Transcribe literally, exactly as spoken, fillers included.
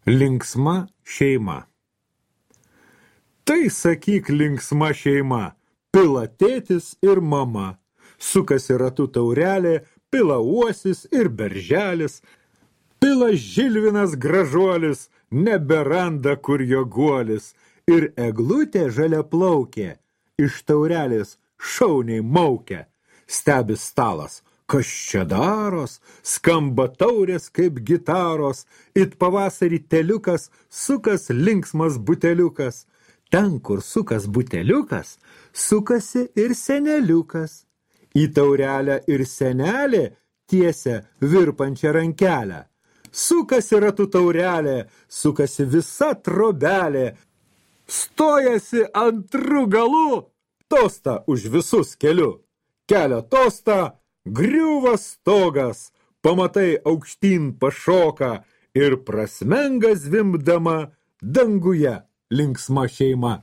Linksma šeima. Tai sakyk linksma šeima, pila tėtis ir mama, sukasi ratu taurelė, pila uosis ir berželis, pila žilvinas gražuolis, neberanda kur jo guolis, ir eglutė žalia plaukė, iš taurelės šauniai maukia, stebi stalas. Kas čia daros, skamba taurės kaip gitaros, it pavasarį teliukas, sukas linksmas buteliukas. Ten, kur sukas buteliukas, sukasi ir seneliukas. Į taurelę ir senelė tiesia virpančią rankelę. Sukasi ratu taurelė, sukasi visa trobelė. Stojasi antrų galų, tostą už visus keliu. Kelia tostą, griuva stogas, pamatai aukštyn pašoka ir prasmenga zvimbdama danguje linksma šeima.